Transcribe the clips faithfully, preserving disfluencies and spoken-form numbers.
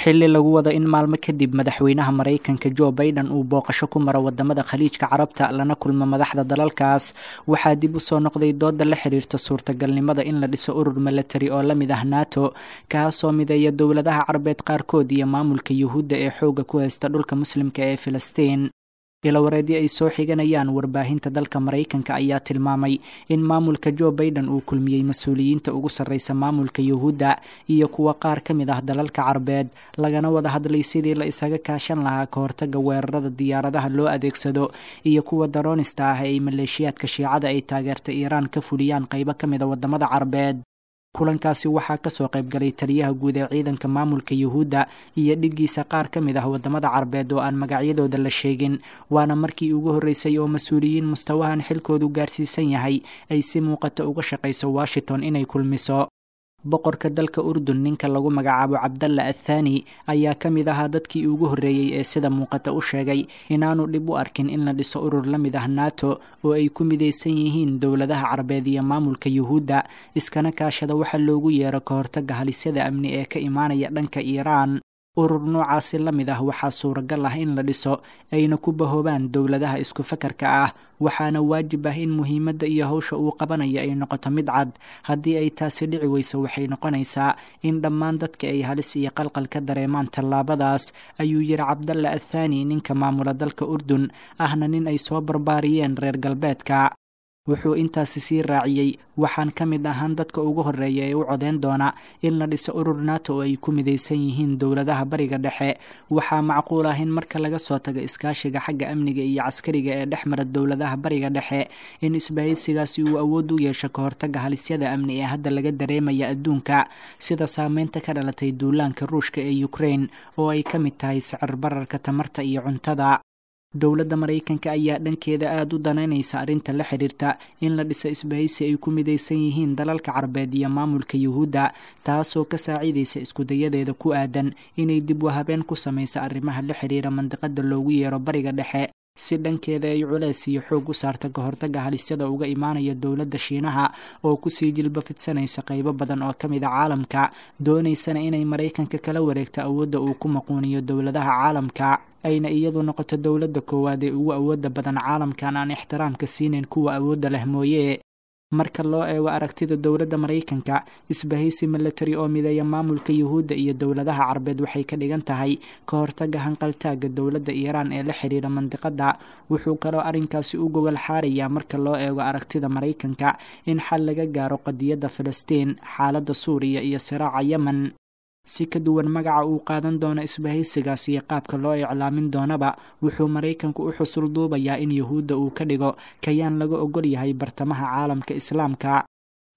Xilli lagu wado in maalmo kadib madaxweynaha Maraykanka Joe Biden uu booqasho ku maro wadamada Khaliijka Carabta lana kulmo madaxda dalalkaas, waxaa dib u soo noqday dooda la xiriirta suurtagalnimada in la dhiso urur milatari oo la mid ah NATO, kaasoo mideeya dowladaha Carbeed qaarkood iyo maamulka Yuhuudda ee xoogga ku haysta dhulka Muslimka ee Filistiin. Ilawareedyo ay soo xiganayaan warbaahinta dalka Maraykanka ayaa tilmaamay in maamulka Joe Biden uu kulmiyey mas-uuliyiinta ugu sarreysa maamulka Yuhuudda iyo kuwa qaar ka mid ah dalalka Carbeed, lagana wada hadlay sidii la isaga kaashan lahaa ka hortagga weerarada diyaaradaha loo adeegsado iyo kuwa daroonista ah ee ay maleeshiyaadka Shiicada ay taageerta Iiraan ka fuliyaan qaybo ka mid a wadamada Carbeed. Kulankaasi waxaa kasoo qaybgalay taliyaha guud ee ciidanka maamulka Yuhuudda iyo dhiggiisa qaar ka mid ah wadamada Carbeed oo aan magacyadooda la sheegin, waana markii ugu horreysay oo mas-uuliyiin mustawahan xilkoodu gaarsiisan yahay ay si muuqata uga shaqayso Washington inay kulmiso. Boqorka dalka Urdun, ninka lagu magacaabo Cabdalla Athani, ayaa ka mid ahaa dadkii ugu horreeyey ee sida muuqata u sheegay inaanu dhib u arkin in la dhiso urur la mid ah NATO oo ay ku midaysan yihiin dowladaha Carbeed iyo maamulka Yuhuudda, iskana kaashada waxa loogu yeero ka hortagga halisyada amni ee ka imaanaya dhanka Iiraan. Urur noocaasi la mid ah waxaa suuragal ah in la dhiso ayna ku bahoobaan dowladaha isku fakarka ah, waxaana waajib ah in muhiimadda iyo hawsha uu qabanayo ay noqoto mid cad. Haddii ay taasi dhici weyso, waxay noqonaysaa in dhammaan dadka ay halis iyo qalqal ka dareemaan tallaabadaas, ayuu yidhi Cabdalla Athani, ninka maamula dalka Urdun ahna nin ay soo barbaariyeen reer galbeedka. Wuxuu intaasi sii raaciyey, waxaan ka mid ahaan dadka ugu horreeya ee u codeyn doona in la dhiso urur NATO oo ay ku midaysan yihiin dowladaha Bariga Dhexe. Waxaa macquul ah in marka laga soo tago iskaashiga xagga amniga iyo caskariga ee dhex mara dowladaha Bariga Dhexe, in isbahaysigaasi uu awood u yeesho ka hortagga halisyada amni ee hadda laga dareemaya adduunka, sida saameynta ka dhalatay duulaanka Ruushka ee Ukraine oo ay ka mid tahay sicir bararka tamarta iyo cuntada. Dowladda Maraykanka ayaa dhankeeda aada u danaynaysa arrinta la xiriirta in la dhiso isbahaysi ay ku midaysan yihiin dalalka Carbeed iyo maamulka Yuhuudda, taasoo ka saaciidaysa iskudayadeeda ku aadan inay dib u habeen ku samaysa arrimaha la xiriira mandiqada loogu yeero Bariga Dhexe, si dhankeeda ay culeys iyo xoog u saarta ka hortagga halisyada uga imaanaya dowladda Shiinaha oo kusii jilba fidsanaysa qaybo badan oo ka mid a caalamka, doonaysana inay Maraykanka kala wareegto awoodda uu ku maquuniyo dowladaha caalamka, ayna iyadu noqoto dowladda koowaad ee ugu awoodda badan caalamkan aan ixtiraamka siinayn kuwa awoodda leh mooye. Marka loo eego aragtida dowladda Maraykanka, isbahaysi milatari oo mideeya maamulka Yuhuudda iyo dowladaha Carbeed waxay ka dhigan tahay ka hortagga hanqaltaagga dowladda Iiraan ee la xiriira mandiqadda. Wuxuu kaloo arrinkaasi u gogol xaarayaa, marka loo eego aragtida Maraykanka, in xal laga gaaro qadiyadda Filistiin, xaaladda Suuriya iyo siraaca Yemen. Si ka duwan magaca uu qaadan doono isbahaysigaas iyo qaabka loo iclaamin doonaba, wuxuu Maraykanku u xusul duubayaa in Yuhuudda uu ka dhigo kayaan laga ogol yahay bartamaha caalamka Islaamka.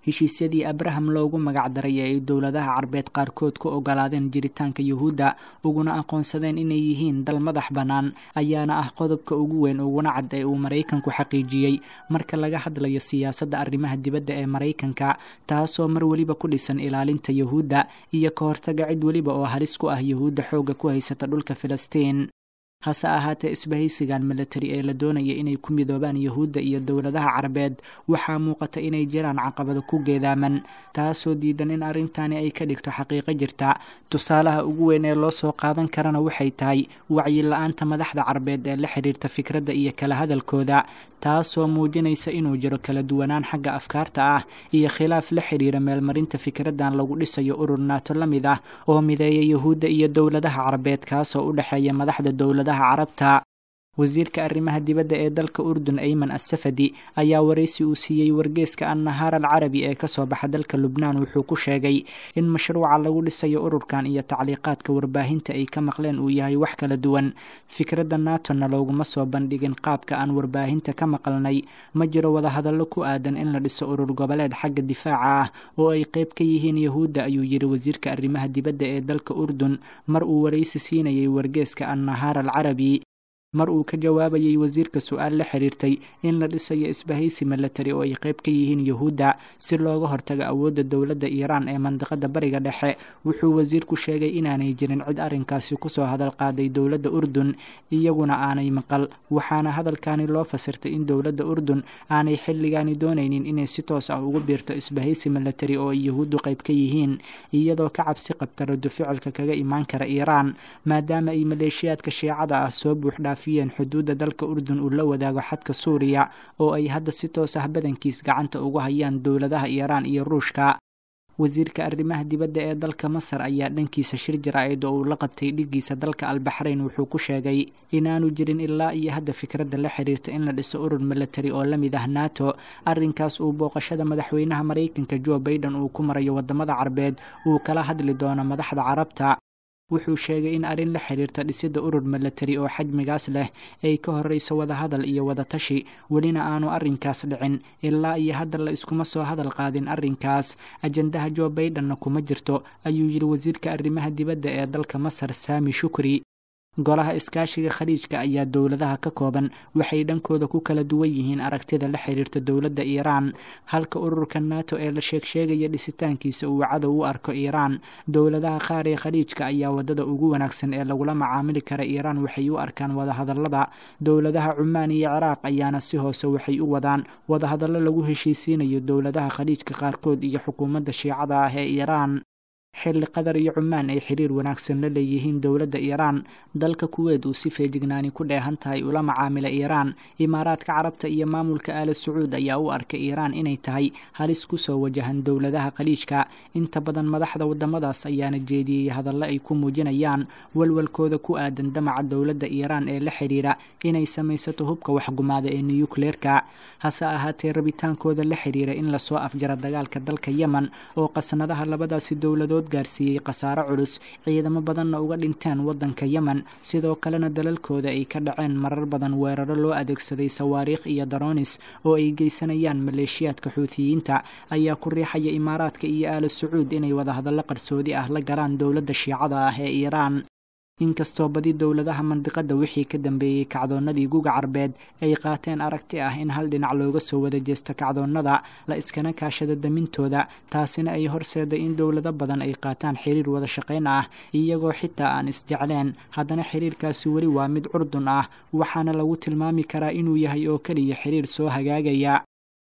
Heshiisyadii Abraham loogu magacdaray ee ay dowladaha Carbeed qaarkood ku ogolaadeen jiritaanka Yuhuudda uguna aqoonsadeen inay yihiin dal madax bannaan ayaana ah qodobka ugu weyn uguna cad ee uu Maraykanku xaqiijiyey marka laga hadlayo siyaasadda arrimaha dibadda ee Maraykanka, taasoo mar weliba ku dhisan ilaalinta Yuhuudda iyo ka hortagga cid weliba oo halis ku ah Yuhuudda xoogga ku haysata dhulka Filistiin. Hase ahaatee, isbahaysigan milatari ee la doonaya inay ku midoobaan Yuhuudda iyo dowladaha Carbeed waxaa muuqata inay jiraan caqabado ku geedaaman, taasoo diidan in arrintani ay ka dhigto xaqiiqo jirta. Tusaalaha ugu weyn ee loo soo qaadan karana waxay tahay wacyi la-aanta madaxda Carbeed ee la xiriirta fikradda iyo kala hadalkooda, taasoo muujinaysa inuu jiro kala duwanaan xagga afkaarta ah iyo khilaaf la xiriira meelmarinta fikraddan lagu dhisayo urur NATO la mid ah oo mideeya Yuhuudda iyo dowladaha Carbeed, kaasoo u dhexeeya madaxda dowladaha Carabta. Wasiirka arrimaha dibadda ee dalka Urdun, Ayman Assafadi, ayaa waraysi uu siiyey wargeeska Annahaar Alcarabi ee kasoo baxa dalka Lubnaan wuxuu ku sheegay in mashruuca lagu dhisayo ururkan iyo tacliiqaadka warbaahinta ay ka maqleen uu yahay wax kala duwan. Fikradda NATO-na looguma soo bandhigin qaabka aan warbaahinta ka maqalnay. Ma jiro wadahadallo ku aadan in la dhiso urur goboleed xagga difaaca ah oo ay qayb ka yihiin Yahuudda, ayuu yidhi wasiirka arrimaha dibadda ee dalka Urdun mar uu waraysi siinayay wargeeska Annahaar Alcarabi. Mar uu ka jawaabayay wasiirka su-aal la xiriirtay in la dhisayo isbahaysi milatari oo ay qayb ka yihiin Yuhuudda si looga hortago awoodda dowladda Iiraan ee mandiqada Bariga Dhexe, wuxuu wasiirku sheegay inaanay jirin cid arrinkaasi kusoo hadal qaaday dowladda Urdun, iyaguna aanay maqal. Waxaana hadalkani loo fasirtay in dowladda Urdun aanay xilligaani doonaynin inay si toos ah ugu biirto isbahaysi milatari oo ay Yuhuuddu qayb ka yihiin, iyadoo ka cabsi qabta rado ficilka kaga imaan kara Iiraan, maadaama ay maleeshiyaadka Shiicada ah soo buuxdhaaf xuduudda dalka Urdun uu la wadaago xadka Suuriya oo ay hadda si toos ah badankiis gacanta ugu hayaan dowladaha Iiraan iyo Ruushka. Wasiirka arrimaha dibadda ee dalka Masar ayaa dhankiisa shir jaraa'id oo uu la qabtay dhiggiisa dalka Albaxrayn wuxuu ku sheegay inaanu jirin ilaa iyo hadda fikradda la xiriirta in la dhiso urur milatari oo la mid ah NATO. Arrinkaas uu booqashada madaxweynaha Maraykanka Joe Biden uu ku marayo waddamada Carbeed uu kala hadli doono madaxda Carabta. Wuxuu sheegay in arrin la xiriirta dhisidda urur milatari oo xajmigaas leh ay ka horreyso wadahadal iyo wadatashi, welina aanu arrinkaas dhicin. Ilaa iyo hadda la iskuma soo hadal qaadin arrinkaas, ajandaha Joe Bidenna kuma jirto, ayuu yidhi wasiirka arrimaha dibadda ee dalka Masar Saami Shukri. Golaha Iskaashiga Khaliijka ayaa dowladaha ka kooban waxay dhankooda ku kala duwan yihiin aragtida la xiriirta dowladda Iiraan, halka ururka NATO ee la sheegsheegaya dhisitaankiisa uu cadow u arko Iiraan. Dowladaha qaar ee Khaliijka ayaa waddada ugu wanaagsan ee lagula macaamili kara Iiraan waxay u arkaan wadahadallada. Dowladaha Cumaan iyo Ciraaq ayaana si hoose waxay u wadaan wadahadallo lagu heshiisiinayo dowladaha Khaliijka qaarkood iyo xukuumadda Shiicada ah ee Iiraan. Xilli Qatar iyo Cumaan ay xiriir wanaagsan la leeyihiin dowladda Iiraan, dalka Kuweyt uu si feejignaani ku dheehan tahay ula macaamila Iiraan, Imaaraadka Carabta iyo maamulka Aala Sacuud ayaa u arka Iiraan inay tahay halis kusoo wajahan dowladaha Khaliijka. Inta badan madaxda waddamadaas ayaana jeediyey hadallo ay ku muujinayaan walwalkooda ku aadan damaca dowladda Iiraan ee la xiriira inay samaysato hubka waxgumaada ee niyukleerka. Hase ahaatee, rabitaankooda la xiriira in lasoo afjaro dagaalka dalka Yemen oo qasnadaha labadaasi dowladood gaarsiiyey khasaaro culus, ciidamo badanna uga dhinteen waddanka Yemen, sidoo kalena dalalkooda ay ka dhaceen marar badan weeraro loo adeegsaday sawaariikh iyo daroonis oo ay geysanayaan maleeshiyaadka Xuutiyiinta, ayaa ku riixaya Imaaraadka iyo Aala Sacuud inay wadahadallo qarsoodi ah la galaan dowladda Shiicada ah ee Iiraan. Inkastoo badi dowladaha mandiqada wixii ka dambeeyey kacdoonnadii Guga Carbeed ay qaateen aragti ah in hal dhinac looga soo wada jeesto kacdoonnada, la iskana kaashado damintooda, taasina ay horseeday in dowlado badan ay qaataan xiriir wada shaqayn ah iyagoo xitaa aan isjecleen, haddana xiriirkaasi weli waa mid curdun ah, waxaana lagu tilmaami karaa inuu yahay oo keliya xiriir soo hagaagaya.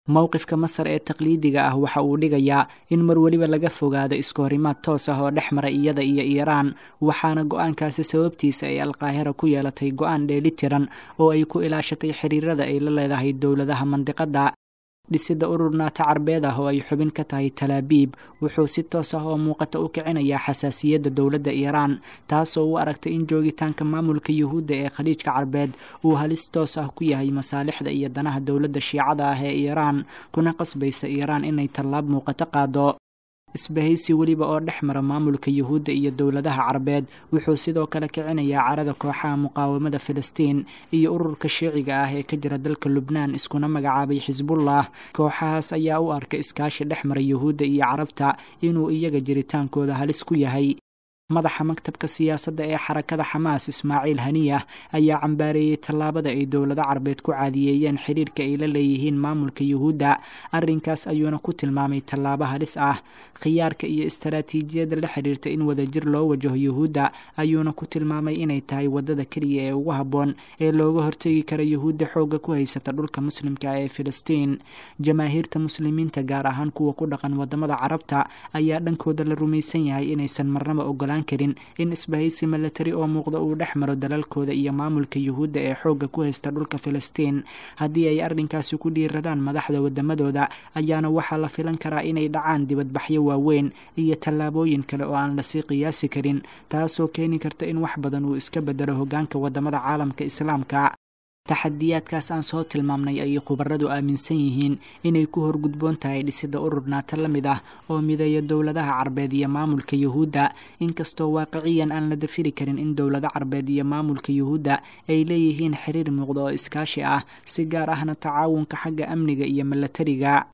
Mowqifka Masar ee taqliidiga ah waxa uu dhigayaa in mar weliba laga fogaado iskahorimaad toos ah oo dhex mara iyada iyo Iiraan, waxaana go-aankaasi sababtiisa ay Alqaahira ku yeelatay go-aan dheelitiran oo ay ku ilaashatay xiriirada ay la leedahay dowladaha mandiqada. Dhisidda urur NATO Carbeed ah oo ay xubin ka tahay Talaabiib wuxuu si toos ah oo muuqata u kicinayaa xasaasiyadda dowladda Iiraan, taasoo u aragtay in joogitaanka maamulka Yuhuudda ee Khaliijka Carbeed uu halis toos ah ku yahay masaalixda iyo danaha dowladda Shiicada ah ee Iiraan, kuna qasbaysa Iiraan inay tallaab muuqato qaado. Isbahaysi weliba oo dhex mara maamulka Yuhuudda iyo dowladaha Carbeed wuxuu sidoo kale kicinayaa carada kooxaha muqaawamada Filistiin iyo ururka Shiiciga ah ee ka jira dalka Lubnaan iskuna magacaabay Xisbullah. Kooxahaas ayaa u arka iskaashi dhex mara Yuhuudda iyo Carabta inuu iyaga jiritaankooda halis ku yahay. Madaxa maktabka siyaasadda ee xarakada Xamaas Ismaaciil Haniyah ayaa cambaareeyey tallaabada ay dowlado Carbeed ku caadiyeeyeen xiriirka ay la leeyihiin maamulka Yuhuudda. Arrinkaas ayuuna ku tilmaamay tallaabo halis ah. Khiyaarka iyo istaraatiijiyadda la xiriirta in wadajir loo wajaho Yuhuudda ayuuna ku tilmaamay inay tahay waddada keliya ee ugu habboon ee looga hortegi kara Yuhuudda xoogga ku haysata dhulka muslimka ee Filistiin. Jamaahiirta muslimiinta, gaar ahaan kuwa ku dhaqan waddamada Carabta, ayaa dhankooda la rumaysan yahay inaysan marnaba ogolaan karin in isbahaysi milatari oo muuqda uu dhex maro dalalkooda iyo maamulka Yuhuudda ee xoogga ku haysta dhulka Filistiin. Haddii ay arrinkaasi ku dhiiradaan madaxda waddamadooda ayaana waxaa la filan karaa inay dhacaan dibadbaxyo waaweyn iyo tallaabooyin kale oo aan lasii qiyaasi karin, taasoo keeni karta in wax badan uu iska bedelo hoggaanka waddamada caalamka Islaamka. Taxadiyaadkaas aan soo tilmaamnay ayay khubaradu aaminsan yihiin inay ku horgudboon tahay dhisidda urur NATO la mid ah oo mideeya dowladaha Carbeed iyo maamulka Yuhuudda, inkastoo waaqiciyan aan la dafiri karin in dowlado Carbeed iyo maamulka Yuhuudda ay leeyihiin xiriir muuqda oo iskaashi ah, si gaar ahna tacaawunka xagga amniga iyo milatariga.